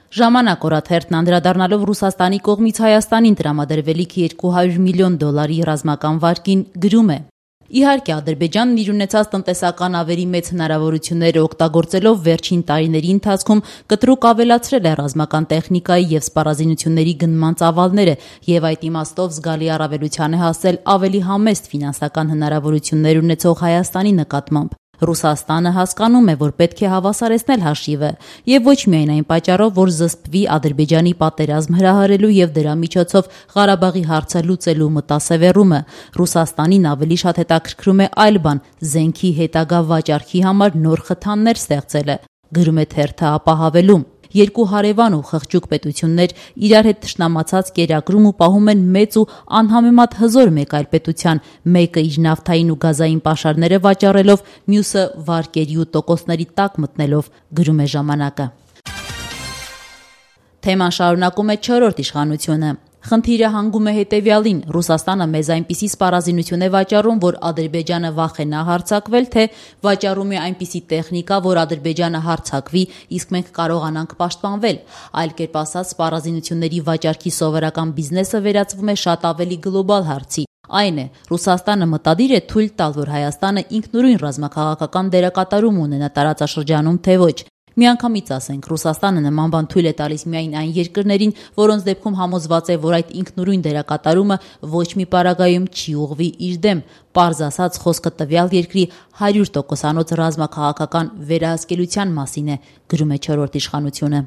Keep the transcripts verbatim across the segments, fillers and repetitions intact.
Ժամանակ օրաթերթն անդրադառնալով Ռուսաստանի կողմից Հայաստանին տրամադրվելիք երկու հարյուր միլիոն դոլարի ռազմական վարկին գրում է. Իհարկե, Ադրբեջանն իր ունեցած տնտեսական ավերի մեծ հնարավորությունները օգտագործելով վերջին տարիների ընթացքում կտրուկ ավելացրել է ռազմական տեխնիկայի և սպառազինությունների գնման ծավալները և այդ իմաստով զգալի առավելության է հասել ավելի համեստ ֆինանսական հնարավորություններ ունեցող Հայաստանի նկատմամբ։ Ռուսաստանը հասկանում է, որ պետք է հավասարեցնել հաշիվը և ոչ միայն այն պատճառով, որ զսպվի Ադրբեջանի պատերազմ հրահրելու և դրա միջոցով Ղարաբաղի հարցը լուծելու մտասևեռումը։ Ռուսաստանին ավելի շատ հետաքրքրում է այլ բան՝ զենքի հետագա վաճառքի համար նոր խթաններ ստեղծելը, գրում է թերթը ապահավելում։ Երկու հարևան ու խղճուկ պետություններ իրար հետ թշնամացած կերակրում ու պահում են մեծ ու անհամեմատ հզոր մեկ այլ պետության, մեկը իր նավթային ու գազային պաշարները վաճառելով, մյուսը վարկերի ու տոկոսների տակ մտնելով, գրում է ժամանակը։ Թեման շարունակում է չորրորդ իշխանությունը։ Խնդիրը հանգում է հետևյալին. Ռուսաստանը մեզ այնպիսի սպառազինություն է վաճառում, որ Ադրբեջանը վախենա հարձակվել, թե վաճառում է այնպիսի տեխնիկա, որ Ադրբեջանը հարձակվի, իսկ մենք կարողանանք պաշտպանվել։ Այլ կերպ ասած, սպառազինությունների վաճառքի սովորական բիզնեսը վերածվում է շատ ավելի գլոբալ հարցի։ Այն է, Ռուսաստանը մտադիր է թույլ տալ, որ Հայաստանը ինքնուրույն ռազմաքաղաքական դերակատարում ունենա տարածաշրջանում, թե ոչ։ Միանգամից ասենք, Ռուսաստանը նման բան թույլ է տալիս միայն այն երկրներին, որոնց դեպքում համոզված է, որ այդ ինքնուրույն դերակատարումը ոչ մի պարագայում չի ուղղվի իր դեմ։ Պարզ ասած, խոսքը տվյալ երկրի հարյուր տոկոսանոց ռազմաքաղաքական վերահսկելիության մասին է, գրում է չորրորդ իշխանությունը։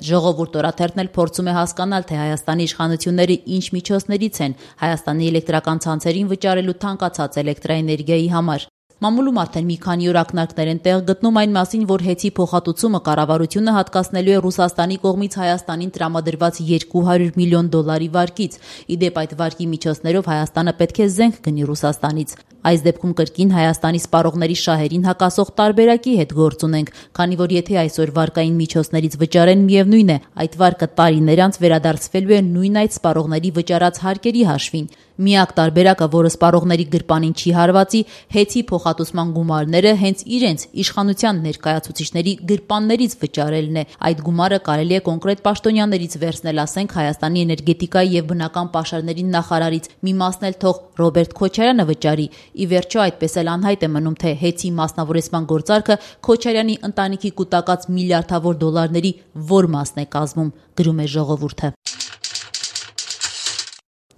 Ժողովուրդ օրաթերթն էլ փորձում է հասկանալ, թե Հայաստանի իշխանությունները ինչ միջոցներից են Հայաստանի էլեկտրական ցանցերին վճարելու թանկացած էլեկտրաէներգիայի համար։ Մամուլում արդեն մի քանի օր ակնարկներ են տեղ գտնում այն մասին, որ հեծի փոխհատուցումը կառավարությունը հատկացնելու է Ռուսաստանի կողմից Հայաստանին տրամադրված երկու հարյուր միլիոն դոլարի վարկից։ Ի դեպ, այդ վարկի միջոցներով Հայաստանը պետք է զենք գնի Ռուսաստանից։ Այս դեպքում կրկին Հայաստանի սպառողների շահերին հակասող տարբերակի հետ գործ ունենք, քանի որ եթե այսօր վարկային միջոցներից վճարեն, միևնույն է, այդ վարկը տարիներ անց վերադարձվելու է նույն այդ սպառողների վճարած հարկերի հաշվին։ Միակ տարբերակը, որը սպառողների գրպանին չի հարվածի, հեծի փոխհատուցման գումարները հենց իրենց իշխանության ներկայացուցիչների գրպաններից վճարելն է։ Այդ գումարը կարելի է կոնկրետ պաշտոնյաներից վերցնել, ասենք Հայաստանի էներգետիկայի և բնական պաշարների նախարարից, մի մասն էլ թող Ռոբերտ Քոչարյանը վճարի։ Ի վերջո, այդպես էլ անհայտ է մնում, թե հեծի մասնավորեցման գործարքը Քոչարյանի ընտանիքի կուտակած միլիարդավոր դոլարների որ մասն է կազմում, գրում է Ժողովուրդը։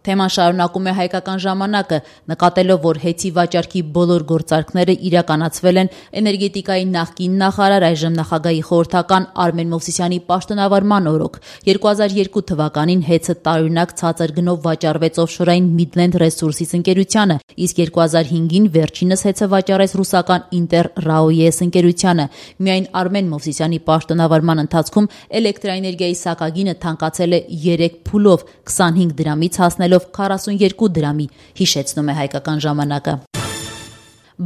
Թեման շարունակում է Հայկական ժամանակը, նկատելով, որ հեծի վաճառքի բոլոր գործարքները իրականացվել են էներգետիկայի նախկին նախարար, այժմ նախագահի խորհրդական Արմեն Մովսիսյանի պաշտոնավարման օրոք։ երկու հազար երկու թվականին հեծը տարօրինակ ցածր գնով վաճառվեց օֆշորային Midland Resources ընկերությանը, իսկ երկու հազար հինգին վերջինս հեծը վաճառեց ռուսական Inter Raoyes ընկերությանը։ Միայն Արմեն Մովսիսյանի պաշտոնավարման ընթացքում էլեկտրաէներգիայի սակագինը թանկացել է երեք փուլով, քսանհինգ դրամից հասնելով քառասունյոթ դրամի, հիշեցնում է Հայկական ժամանակը։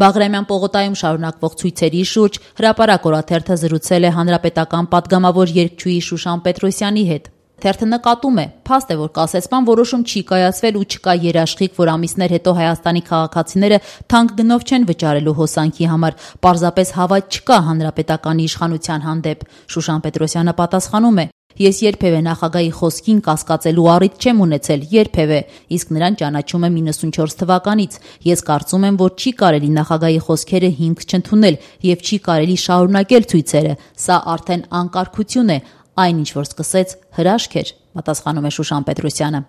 Բաղրամյան պողոտայում շարունակվող ցույցերի շուրջ Հրապարակ օրաթերթը զրուցել է հանրապետական պատգամավոր երգչուհի Շուշան Պետրոսյանի հետ։ Թերթը նկատում է, փաստ է, որ կասեցման որոշում չի կայացվել ու չկա երաշխիք, որ ամիսներ հետո Հայաստանի քաղաքացիները թանկ գնով չեն վճարելու հոսանքի համար, պարզապես հավատ չկա հանրապետականի իշխանության հանդեպ։ Շուշան Պետրոսյանը պատասխանում է. Ես երբևէ նախագահի խոսքին կասկածելու առիթ չեմ ունեցել, երբևէ, իսկ նրան ճանաչում եմ իննսունչորս թվականից։ Ես կարծում եմ, որ չի կարելի նախագահի խոսքերը հիմք չընդունել և չի կարելի շարունակել ցույցերը։ Սա արդեն անկարգություն է, այն ինչ որ սկսեց հրաշք էր, պատասխանում է Շուշան Պետրոսյանը։